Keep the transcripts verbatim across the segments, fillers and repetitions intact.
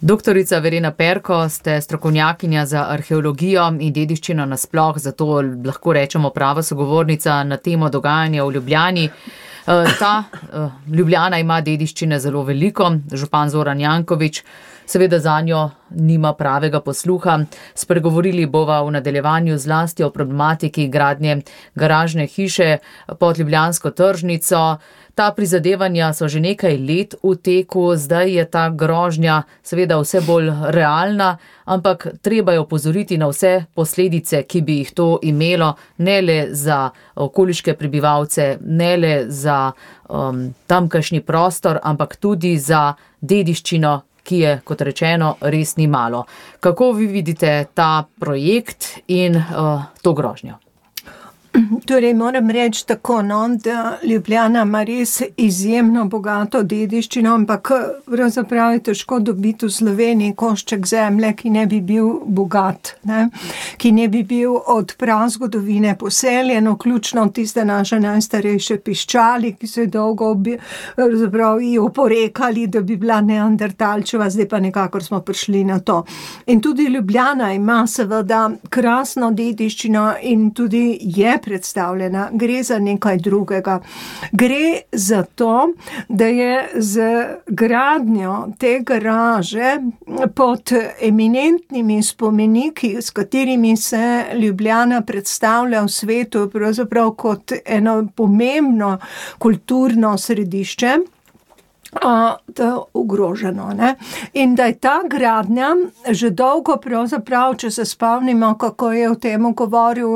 Doktorica Verena Perko, ste strokovnjakinja za arheologijo in dediščino nasploh, zato lahko rečemo prava sogovornica na temo dogajanja v Ljubljani. Ta Ljubljana ima dediščine zelo veliko, župan Zoran Janković seveda zanjo nima pravega posluha. Spregovorili bova v nadaljevanju zlasti o problematiki gradnje garažne hiše pod ljubljansko tržnico. Ta prizadevanja so že nekaj let v teku, zdaj je ta grožnja seveda vse bolj realna, ampak treba je opozoriti na vse posledice, ki bi jih to imelo, ne le za okoliške prebivalce, ne le za um, tamkajšnji prostor, ampak tudi za dediščino, ki je, kot rečeno, res ni malo. Kako vi vidite ta projekt in uh, to grožnjo? Torej, moram reči tako, no, da Ljubljana ima res izjemno bogato dediščino, ampak pravzaprav je težko dobiti v Sloveniji košček zemlje, ki ne bi bil bogat, ne? Ki ne bi bil od prazgodovine poseljen, vključno tiste naše najstarejše piščali, ki so dolgo pravzaprav ji oporekali, da bi bila neandertalčeva, zdaj pa nekako smo prišli na to. In tudi Ljubljana ima seveda krasno dediščino in tudi je predstavljena. Gre za nekaj drugega. Gre za to, da je z gradnjo te garaže pod eminentnimi spomeniki, s katerimi se Ljubljana predstavlja v svetu, pravzaprav kot eno pomembno kulturno središče, da ogroženo, ne? In da je ta gradnja že dolgo pravzaprav, če se spomnimo, kako je o tem govoril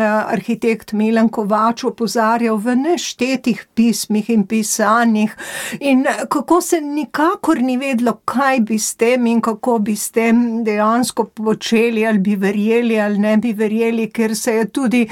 arhitekt Milan Kovač, opozarjal v neštetih pismih in pisanjih in kako se nikakor ni vedlo, kaj bi s tem in kako bi s tem dejansko počeli, ali bi verjeli ali ne bi verjeli, ker se je tudi,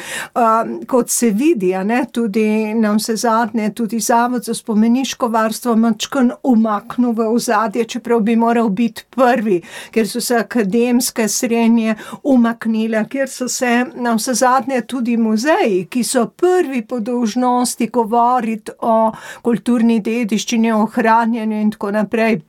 kot se vidi, ne, tudi na vse zadnje, tudi Zavod za spomeniško varstvo mačkan umaknil v ozadje, čeprav bi moral biti prvi, ker so se akademske srenje umaknile, ker so se na vse zadnje tudi muzeji, ki so prvi po dolžnosti govoriti o kulturni dediščini, o ohranjanju in tako naprej,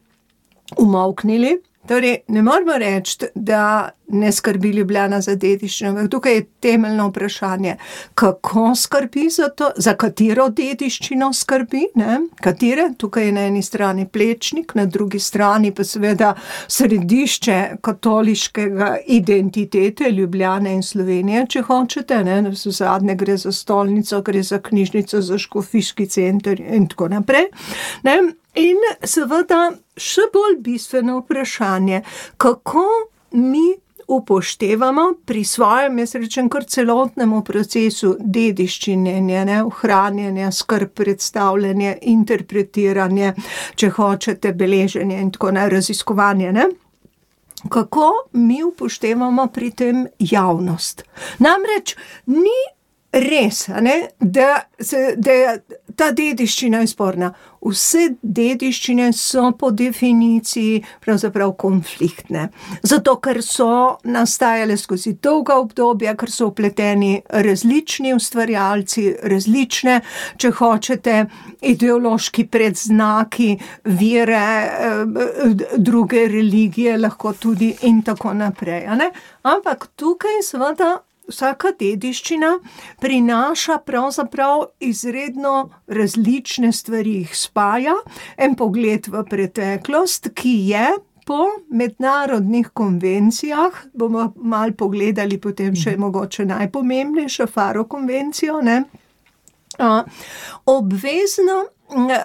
umolknili. Torej, ne moramo reči, da ne skrbi Ljubljana za dediščino. Tukaj je temeljno vprašanje, kako skrbi za to, za katero dediščino skrbi, ne? Katere? Tukaj je na eni strani Plečnik, na drugi strani pa seveda središče katoliškega identitete Ljubljane in Slovenije, če hočete, ne? Zadnje gre za stolnico, gre za knjižnico, za škofijski center in tako naprej, ne? In seveda še bolj bistveno vprašanje, kako mi upoštevamo pri svojem, jaz rečem, kar celotnemu procesu dediščinjenja, ohranjanja, skrb, predstavljanja, interpretiranja, če hočete, beleženje in tako naprej, raziskovanje, ne? Kako mi upoštevamo pri tem javnost? Namreč ni res, ne, da, se, da je ta dediščina je sporna. Vse dediščine so po definiciji pravzaprav konfliktne. Zato, ker so nastajale skozi dolga obdobja, ker so vpleteni različni ustvarjalci, različne, če hočete, ideološki predznaki, vere, druge religije, lahko tudi in tako naprej, ne? Ampak tukaj seveda vsaka dediščina prinaša pravzaprav izredno različne stvari, jih spaja, en pogled v preteklost, ki je po mednarodnih konvencijah, bomo malo pogledali potem še mogoče najpomembnejšo Faro konvencijo, ne, obvezno,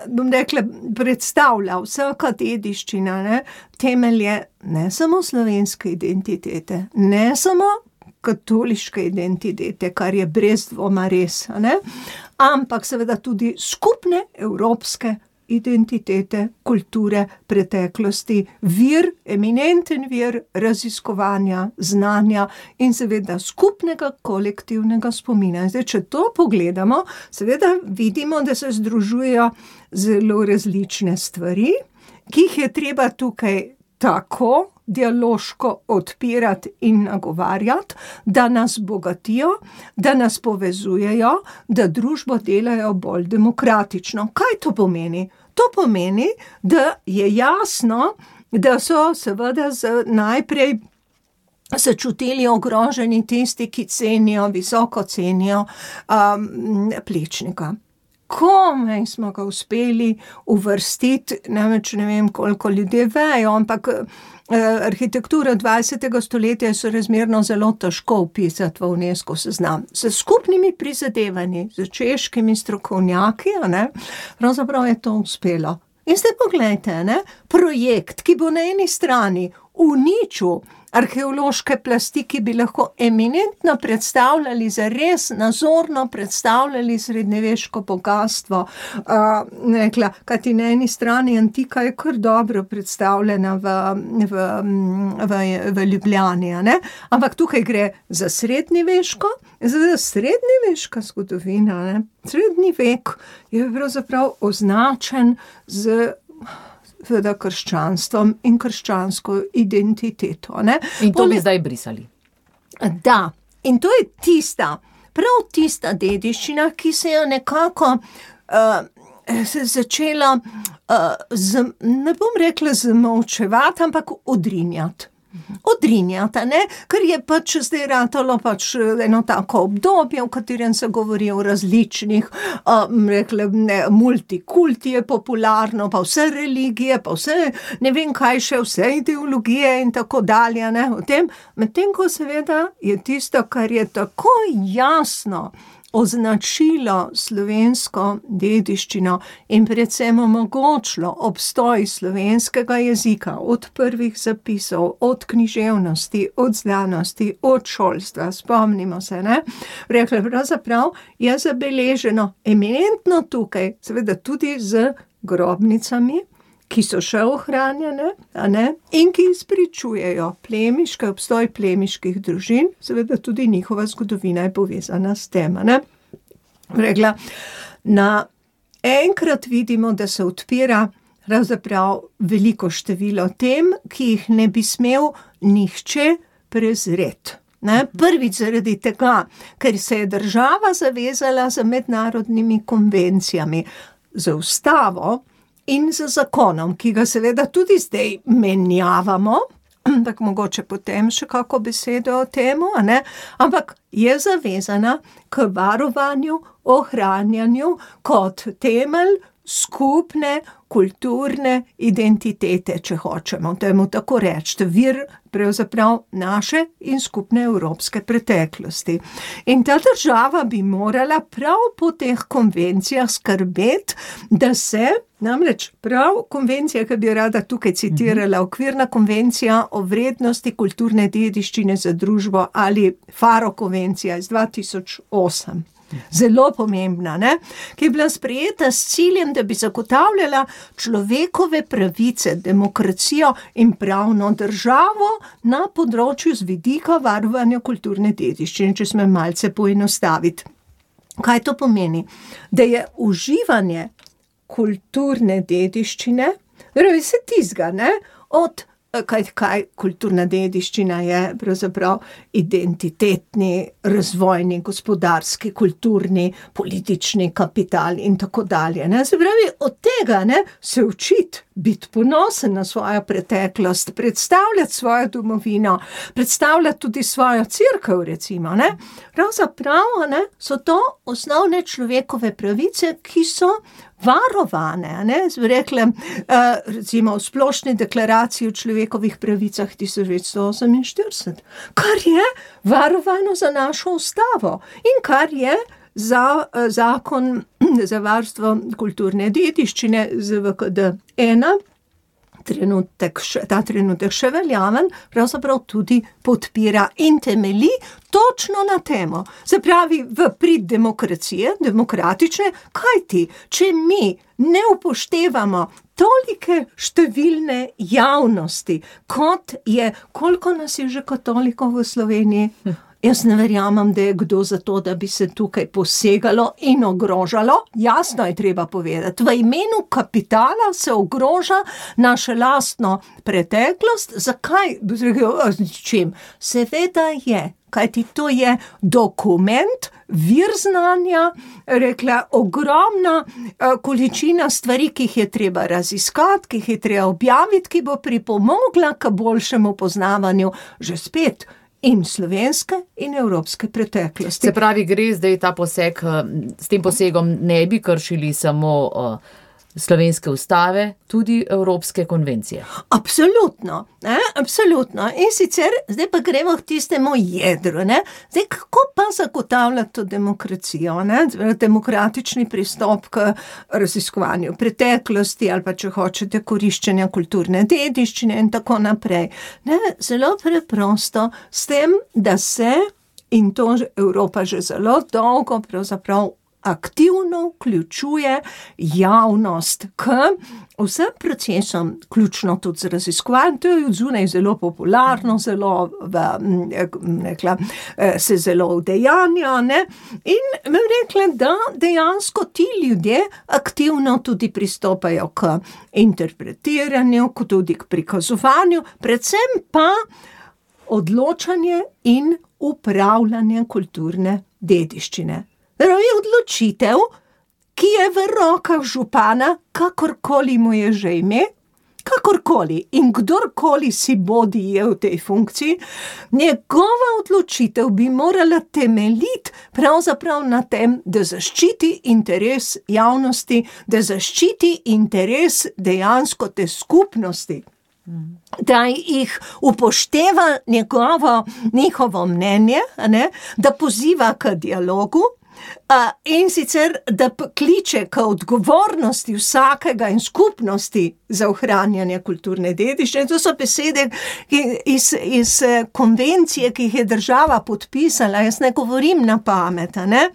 bom rekla, predstavlja vsaka dediščina, ne, temelje ne samo slovenske identitete, ne samo katoliške identitete, kar je brez dvoma res, ne? Ampak seveda tudi skupne evropske identitete, kulture, preteklosti, vir, eminenten vir raziskovanja, znanja in seveda skupnega kolektivnega spomina. Zdaj, če to pogledamo, seveda vidimo, da se združujejo zelo različne stvari, ki jih je treba tukaj tako dialoško odpirati in nagovarjati, da nas bogatijo, da nas povezujejo, da družbo delajo bolj demokratično. Kaj to pomeni? To pomeni, da je jasno, da so seveda z, najprej se čutili ogroženi tisti, ki cenijo, visoko cenijo um, Plečnika. Komaj smo ga uspeli uvrstiti, namreč ne vem, koliko ljudje vejo, ampak eh, arhitektura dvajsetega stoletja so razmerno zelo težko vpisati v UNESCO seznam. S skupnimi prizadevanji, z češkimi strokovnjaki, a ne, pravzaprav je to uspelo. In zdaj poglejte, ne, projekt, ki bo na eni strani uničil arheološke plasti, ki bi lahko eminentno predstavljali, zares nazorno predstavljali srednjeveško bogatstvo. Uh, rekla, kajti na eni strani antika je kar dobro predstavljena v, v, v, v Ljubljani, ne? Ampak tukaj gre za srednjeveško, za srednjeveška zgodovina, ne? Srednji vek je pravzaprav označen z seveda krščanstvom in krščansko identiteto. Ne? In to bi zdaj brisali. Da, in to je tista, prav tista dediščina, ki se je nekako uh, se začela, uh, z, ne bom rekla zamolčevati, ampak odrinjati. Odrinjata, ne, ker je pač zdaj ratalo pač eno tako obdobje, v katerem se govori o različnih, um, rekle, ne, multikulti je popularno, pa vse religije, pa vse, ne vem kaj še, vse ideologije in tako dalje, ne, o tem, medtem ko seveda je tisto, kar je tako jasno označilo slovensko dediščino in predvsem omogočilo obstoj slovenskega jezika od prvih zapisov, od književnosti, od znanosti, od šolstva, spomnimo se, ne? Rekla, pravzaprav je zabeleženo eminentno tukaj, seveda tudi z grobnicami, ki so še ohranjene, a ne, in ki izpričujejo plemiške, obstoj plemiških družin, seveda tudi njihova zgodovina je povezana s tem, a ne. Rekla, na enkrat vidimo, da se odpira pravzaprav veliko število tem, ki jih ne bi smel nihče prezreti. Ne? Prvič zaradi tega, ker se je država zavezala za mednarodnimi konvencijami, za ustavo, in z zakonom, ki ga seveda tudi zdaj menjavamo, tako mogoče potem še kako besedo o temu, a ne? Ampak je zavezana k varovanju, ohranjanju kot temelj skupne kulturne identitete, če hočemo temu tako reči, vir pravzaprav naše in skupne evropske preteklosti. In ta država bi morala prav po teh konvencijah skrbeti, da se, namreč prav konvencija, ki bi rada tukaj citirala, okvirna konvencija o vrednosti kulturne dediščine za družbo ali Faro konvencija iz dva tisoč osem. Zelo pomembna, ne? Ki je bila sprejeta s ciljem, da bi zagotavljala človekove pravice, demokracijo in pravno državo na področju z vidika varovanja kulturne dediščine, če smo malce poenostaviti. Kaj to pomeni? Da je uživanje kulturne dediščine, torej vse tizga, ne? Od Kaj, kaj kulturna dediščina je pravzaprav identitetni, razvojni, gospodarski, kulturni, politični kapital in tako dalje. Ne? Se pravi, od tega ne, se učiti, biti ponosen na svojo preteklost, predstavljati svojo domovino, predstavljati tudi svojo cerkev, recimo. Ne? Pravzaprav ne, so to osnovne človekove pravice, ki so varovane, ne, rekle, recimo v splošni deklaraciji o človekovih pravicah tisoč devetsto oseminštirideset, kar je varovano za našo ustavo in kar je za zakon za varstvo kulturne dediščine z V K D ena, trenutek, ta trenutek še veljaven, pravzaprav tudi podpira in temelji točno na temo. Se pravi, v prid demokracije, demokratične, kajti, če mi ne upoštevamo tolike številne javnosti, kot je, koliko nas je že katolikov v Sloveniji? Jaz ne verjamem, da je kdo za to, da bi se tukaj posegalo in ogrožalo. Jasno je treba povedati, v imenu kapitala se ogroža naše lastno preteklost. Zakaj? Čim? Seveda je, kajti to je dokument, vir znanja, rekla, ogromna uh, količina stvari, ki jih je treba raziskati, ki jih je treba objaviti, ki bo pripomogla k boljšemu poznavanju že spet in slovenske in evropske preteklosti. Se pravi, gre zdaj ta poseg, s tem posegom ne bi kršili samo uh, slovenske ustave, tudi evropske konvencije. Absolutno, ne, absolutno. In sicer, zdaj pa gremo k tistemu jedru, ne. Zdaj, kako pa zagotavljati to demokracijo, ne, demokratični pristop k raziskovanju preteklosti ali pa, če hočete, koriščenja kulturne dediščine in tako naprej. Ne, zelo preprosto, s tem, da se, in to Evropa že zelo dolgo pravzaprav aktivno vključuje javnost k vsem procesom, ključno tudi z raziskovanjem, to je od zunaj zelo popularno, zelo v, rekla, se zelo udejanja, ne, in me rekla, da dejansko ti ljudje aktivno tudi pristopajo k interpretiranju, tudi k prikazovanju, predvsem pa odločanje in upravljanje kulturne dediščine. Je odločitev, ki je v rokah župana, kakorkoli mu je že ime, kakorkoli in kdorkoli si bodi je v tej funkciji, njegova odločitev bi morala temeljiti pravzaprav na tem, da zaščiti interes javnosti, da zaščiti interes dejansko te skupnosti. Da jih upošteva njegovo, njihovo mnenje, ne, da poziva k dialogu, Uh, in sicer, da kliče k odgovornosti vsakega in skupnosti za ohranjanje kulturne dediščine. To so besede iz, iz konvencije, ki jih je država podpisala, jaz ne govorim na pamet, ne,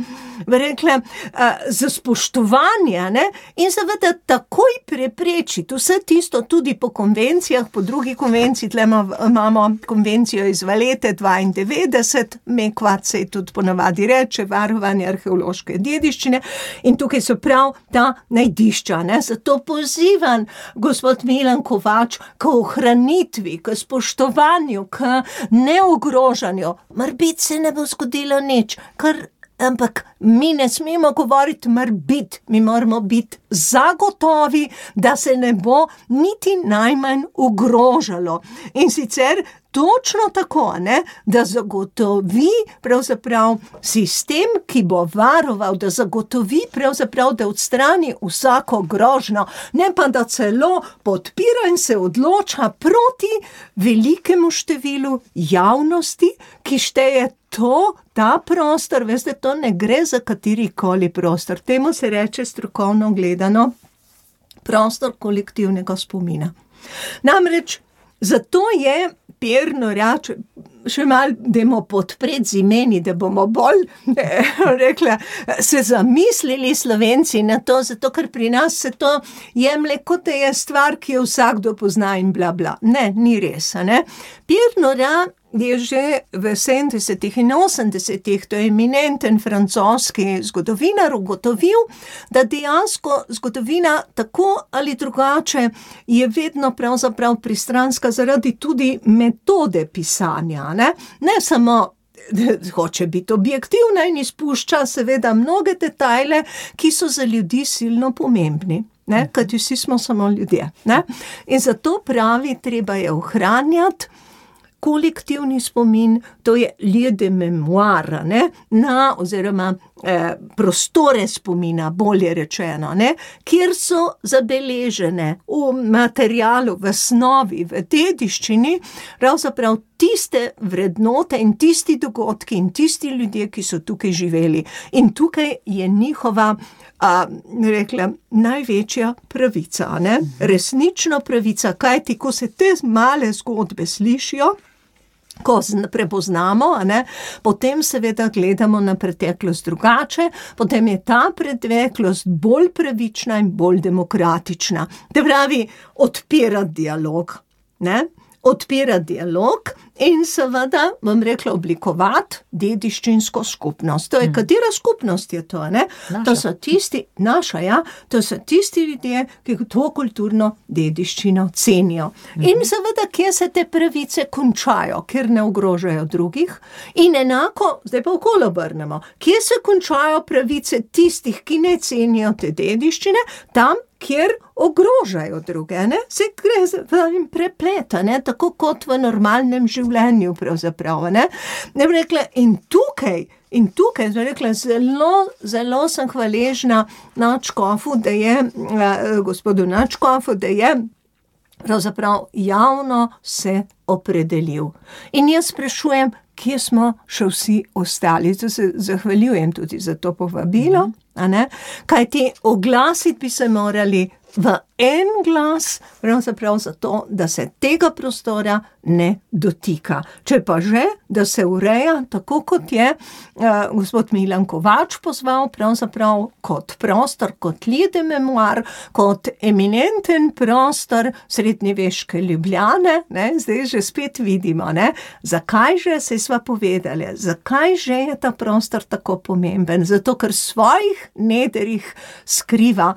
rekla, uh, za spoštovanje, ne, in seveda takoj preprečiti vse tisto tudi po konvencijah, po drugi konvenciji, tle imamo konvencijo iz Valete dvaindevetdeset, Mekvat se tudi ponavadi reče, varovanje arheološke dediščine, in tukaj so prav ta najdišča, ne, zato pozivam gospod Milan Kovač k ohranitvi, k spoštovanju, k neogrožanju. Morbit se ne bo zgodilo nič, kar ampak mi ne smemo govoriti morbit, mi moramo biti zagotovi, da se ne bo niti najmanj ogrožalo. In sicer točno tako, ne, da zagotovi pravzaprav sistem, ki bo varoval, da zagotovi pravzaprav, da odstrani vsako grožnjo, ne pa da celo podpira in se odloča proti velikemu številu javnosti, ki šteje to, ta prostor, veste, to ne gre za katerikoli prostor. Temu se reče strokovno gledano prostor kolektivnega spomina. Namreč, zato je Pirno reče, še malo dajmo podpreti z imeni, da bomo bolj, rekla, se zamislili Slovenci na to, zato ker pri nas se to jemlje, kot da je stvar, ki jo vsakdo pozna in bla bla. Ne, ni res, ne. Pirno je že v sedemdesetih in osemdesetih, to je eminenten francoski zgodovinar, ugotovil, da dejansko zgodovina tako ali drugače je vedno pravzaprav pristranska zaradi tudi metode pisanja, ne, ne samo hoče biti objektivna in izpušča seveda mnoge detajle, ki so za ljudi silno pomembni. Ne, kajti vsi smo samo ljudje. Ne? In zato pravi, treba je ohranjati kolektivni spomin, to je lieu de mémoire, ne, na oziroma eh, prostore spomina, bolje rečeno, ne, kjer so zabeležene v materialu, v snovi, v dediščini, pravzaprav tiste vrednote in tisti dogodki in tisti ljudje, ki so tukaj živeli. In tukaj je njihova, a, rekla, največja pravica, ne, resnično pravica, kajti ko se te male zgodbe slišijo, ko prepoznamo, ne, potem seveda gledamo na preteklost drugače, potem je ta preteklost bolj pravična in bolj demokratična. To pravi, odpirati dialog, ne, odpirati dialog in seveda, bom rekla, oblikovati dediščinsko skupnost. To je, katera skupnost je to, ne? To so tisti, naša, ja, to so tisti ljudje, ki to kulturno dediščino cenijo. In seveda, kje se te pravice končajo, ker ne ogrožajo drugih. In enako, zdaj pa okolo obrnemo, kje se končajo pravice tistih, ki ne cenijo te dediščine, tam, kjer ogrožajo druge, ne? Se gre za prepleta, ne? Tako kot v normalnem življenju pravzaprav, ne? Ne bi rekla, in tukaj, in tukaj, zdaj rekla, zelo, zelo sem hvaležna nadškofu, da je, eh, gospodu nadškofu, da je pravzaprav javno se opredelil. In jaz sprašujem, kje smo še vsi ostali. To se zahvaljujem tudi za to povabilo, a ne? Kajti oglasiti bi se morali v en glas, pravzaprav zato, da se tega prostora ne dotika. Če pa že, da se ureja tako, kot je uh, gospod Milan Kovač pozval, pravzaprav kot prostor, kot lide memoar, kot eminenten prostor srednjeveške Ljubljane, ne? Zdaj že spet vidimo, ne? Zakaj že, se sva povedali, zakaj že je ta prostor tako pomemben? Zato, ker svojih nederih skriva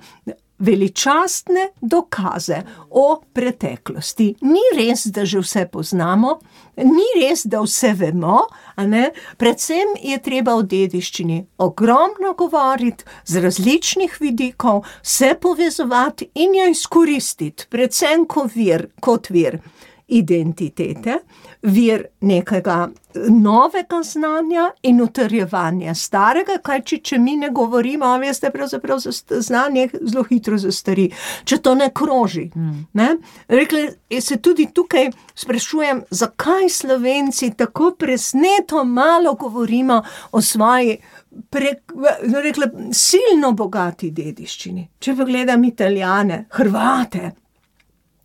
veličastne dokaze o preteklosti. Ni res, da že vse poznamo, ni res, da vse vemo, a ne? Predvsem je treba o dediščini ogromno govoriti, z različnih vidikov, se povezovati in jo izkoristiti, predvsem kot vir, kot vir identitete, vir nekega novega znanja in utrjevanja starega, kaj če, če mi ne govorimo, a veste, pravzaprav znanje zelo hitro zastari, če to ne kroži. Mm. Ne? Rekli, se tudi tukaj sprašujem, zakaj Slovenci tako presneto malo govorimo o svoji prek, rekla, silno bogati dediščini. Če pogledam Italijane, Hrvate,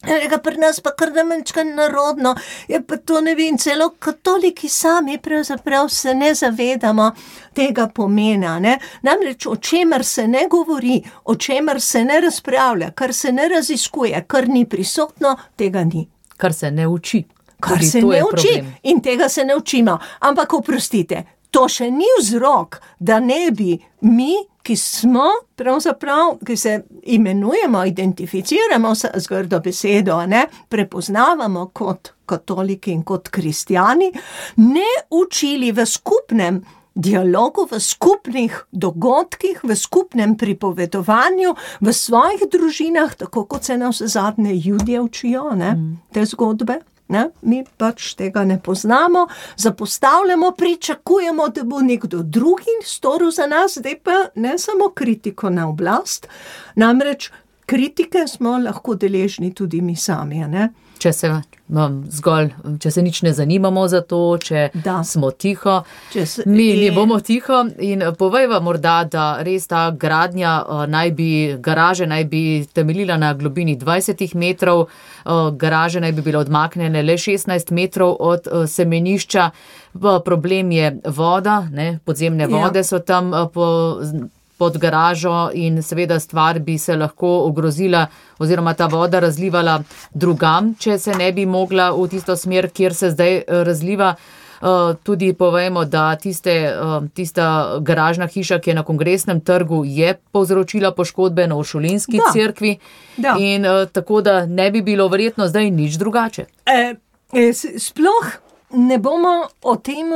Reka, pri nas pa kar namenčka narodno, je pa to, ne vem, celo katoliki sami pravzaprav se ne zavedamo tega pomena, ne. Namreč o čemer se ne govori, o čemer se ne razpravlja, kar se ne raziskuje, kar ni prisotno, tega ni. Kar se ne uči. Kar se ne uči in tega se ne učimo. Ampak oprostite, to še ni vzrok, da ne bi mi, ki smo, pravzaprav, ki se imenujemo, identificiramo z grdo besedo, ne, prepoznavamo kot katoliki in kot kristjani, ne učili v skupnem dialogu, v skupnih dogodkih, v skupnem pripovedovanju, v svojih družinah, tako kot se nas zadnje Judje učijo, ne, te zgodbe. Ne? Mi pač tega ne poznamo, zapostavljamo, pričakujemo, da bo nekdo drugi storil za nas, zdaj pa ne samo kritiko na oblast, namreč kritike smo lahko deležni tudi mi sami, ne? Če se, um, zgolj, če se nič ne zanimamo za to, če da. smo tiho, se, mi ne bomo tiho in povejva morda, da res ta gradnja uh, naj bi, garaže naj bi temeljila na globini dvajset metrov, uh, garaže naj bi bile odmaknjene le šestnajst metrov od uh, semenišča, uh, problem je voda, ne, podzemne vode ja. so tam uh, po pod garažo in seveda stvar bi se lahko ogrozila oziroma ta voda razlivala drugam, če se ne bi mogla v tisto smer, kjer se zdaj razliva. Tudi povejmo, da tiste, tista garažna hiša, ki je na Kongresnem trgu, je povzročila poškodbe na Uršulinski cerkvi da. in tako da ne bi bilo verjetno zdaj nič drugače. E, e, sploh ne bomo o tem,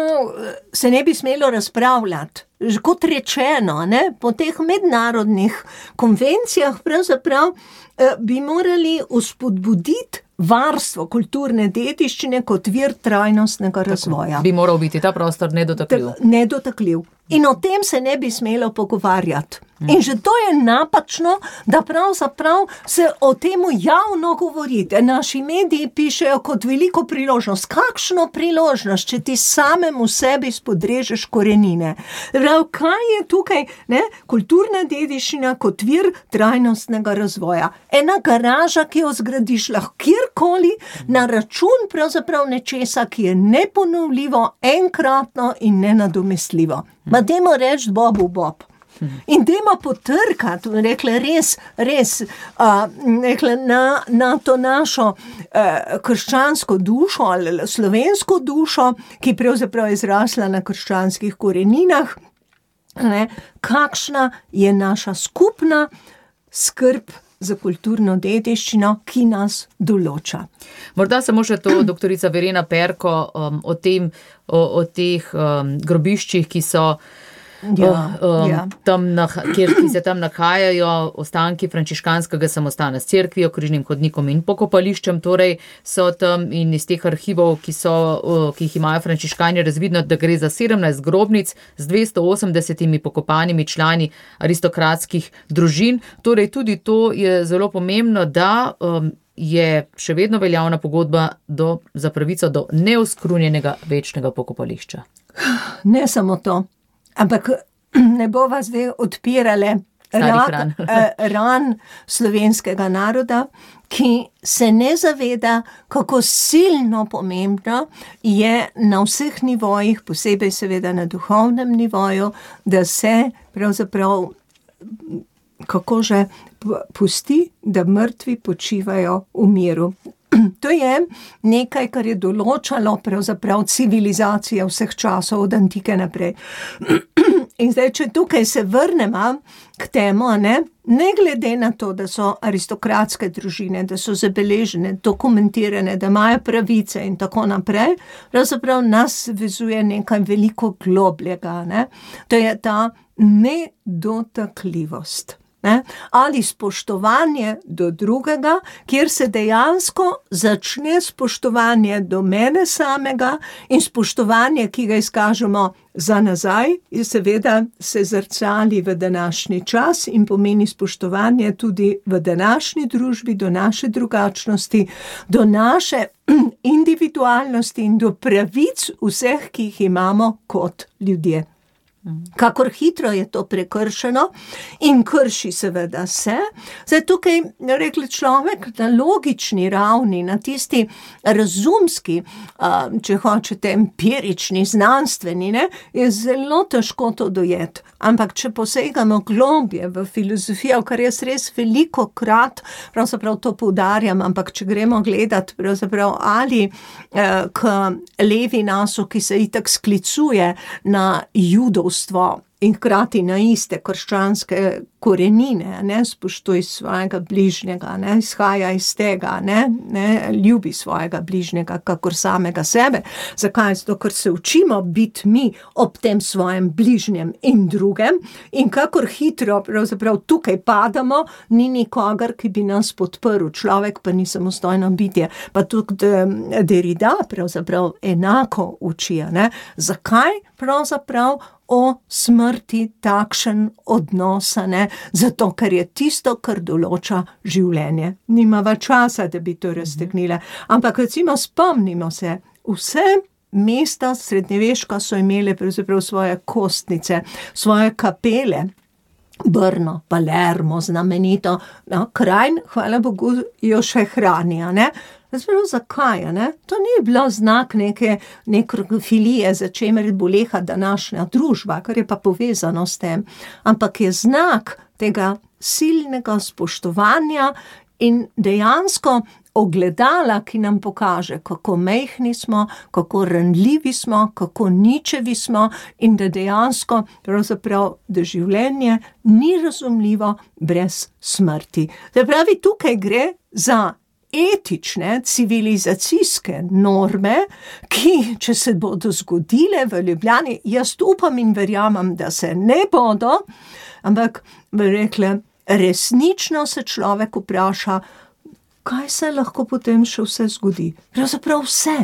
se ne bi smelo razpravljati. Kot rečeno, ne, po teh mednarodnih konvencijah pravzaprav eh, bi morali uspodbuditi varstvo kulturne dediščine kot vir trajnostnega razvoja. Bi moral biti ta prostor nedotakljiv. Nedotakljiv. In o tem se ne bi smelo pogovarjati. In že to je napačno, da pravzaprav se o temu javno govorite. Naši mediji pišejo kot veliko priložnost. Kakšno priložnost, če ti samemu sebi spodrežeš korenine? Prav, kaj je tukaj, ne? Kulturna dediščina kot vir trajnostnega razvoja. Ena garaža, ki jo zgradiš lahko kjerkoli, na račun pravzaprav nečesa, ki je neponovljivo, enkratno in nenadomestljivo. Ma dajmo reči Bobu Bob. In dajmo potrkati, rekla, res, res, uh, rekla, na, na to našo uh, krščansko dušo ali slovensko dušo, ki pravzaprav je izrasla na krščanskih koreninah, ne, kakšna je naša skupna skrb za kulturno dediščino, ki nas določa. Morda samo še to, doktorica Verena Perko, um, o tem, o, o teh um, grobiščih, ki so Ja, um, ja. tam, kjer, ki se tam nahajajo ostanki frančiškanskega samostana s cerkvijo, križnim hodnikom in pokopališčem, torej so tam in iz teh arhivov, ki, so, ki jih imajo frančiškani, razvidno, da gre za sedemnajst grobnic z dvesto osemdesetimi pokopanimi člani aristokratskih družin. Torej tudi to je zelo pomembno, da um, je še vedno veljavna pogodba do, za pravico do neoskrunjenega večnega pokopališča. Ne samo to. Ampak ne bova zdaj odpirale ran, ran slovenskega naroda, ki se ne zaveda, kako silno pomembno je na vseh nivojih, posebej seveda na duhovnem nivoju, da se pravzaprav, kako že, pusti, da mrtvi počivajo v miru. To je nekaj, kar je določalo pravzaprav civilizacija vseh časov od antike naprej. In zdaj, če tukaj se vrnemo k temu, ne, ne glede na to, da so aristokratske družine, da so zabeležene, dokumentirane, da imajo pravice in tako naprej, pravzaprav nas vezuje nekaj veliko globljega, ne. To je ta nedotakljivost. Ne? Ali spoštovanje do drugega, kjer se dejansko začne spoštovanje do mene samega in spoštovanje, ki ga izkažemo za nazaj, in seveda se zrcali v današnji čas in pomeni spoštovanje tudi v današnji družbi, do naše drugačnosti, do naše individualnosti in do pravic vseh, ki jih imamo kot ljudje. Kakor hitro je to prekršeno in krši seveda se. Zdaj tukaj, rekli človek, na logični ravni, na tisti razumski, če hočete, empirični, znanstveni, ne, je zelo težko to dojeti. Ampak če posegamo globje v filozofijo, kar jaz res veliko krat, pravzaprav to poudarjam, ampak če gremo gledati pravzaprav ali eh, k Levinasu, ki se itak sklicuje na judovstvo in hkrati na iste krščanske korenine, ne, spoštuj svojega bližnjega, ne, izhaja iz tega, ne, ne, ljubi svojega bližnjega, kakor samega sebe. Zakaj? Zato, ker se učimo biti mi ob tem svojem bližnjem in drugem in kakor hitro pravzaprav tukaj padamo, ni nikogar, ki bi nas podprl. Človek pa ni samostojno bitje. Pa tudi Derrida pravzaprav enako učijo, ne. Zakaj pravzaprav o smrti takšen odnosa, ne? Zato, ker je tisto, kar določa življenje. Nimava časa, da bi to raztegnila. Ampak recimo spomnimo se, vse mesta srednjeveška so imele pravzaprav svoje kostnice, svoje kapele. Brno, Palermo, znamenito, no, Krajn, hvala Bogu, jo še hranijo, ne. Zdaj, zakaj, ne? To ni bilo znak neke nekrofilije, za čemer boleha današnja družba, kar je pa povezano s tem, ampak je znak tega silnega spoštovanja in dejansko ogledala, ki nam pokaže, kako majhni smo, kako ranljivi smo, kako ničevi smo in da dejansko pravzaprav, da življenje ni razumljivo brez smrti. Da pravi, tukaj gre za etične, civilizacijske norme, ki, če se bodo zgodile v Ljubljani, jaz upam in verjamem, da se ne bodo, ampak bi rekla, resnično se človek vpraša, kaj se lahko potem še vse zgodi? Pravzaprav vse.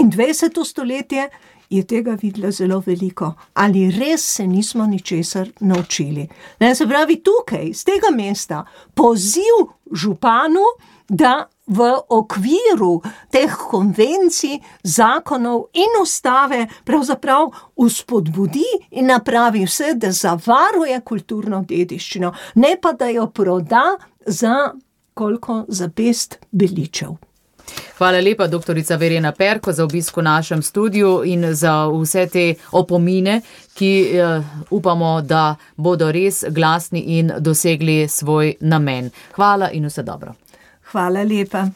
In dvajseto stoletje je tega videla zelo veliko. Ali res se nismo ničesar naučili? Ne, se pravi, tukaj, z tega mesta, poziv županu, da v okviru teh konvencij, zakonov in ustave pravzaprav vzpodbudi in napravi vse, da zavaruje kulturno dediščino, ne pa da jo proda za koliko za pest beličev. Hvala lepa, doktorica Verena Perko, za obisk v našem studiu in za vse te opomine, ki uh, upamo, da bodo res glasni in dosegli svoj namen. Hvala in vse dobro. Hvala lepa.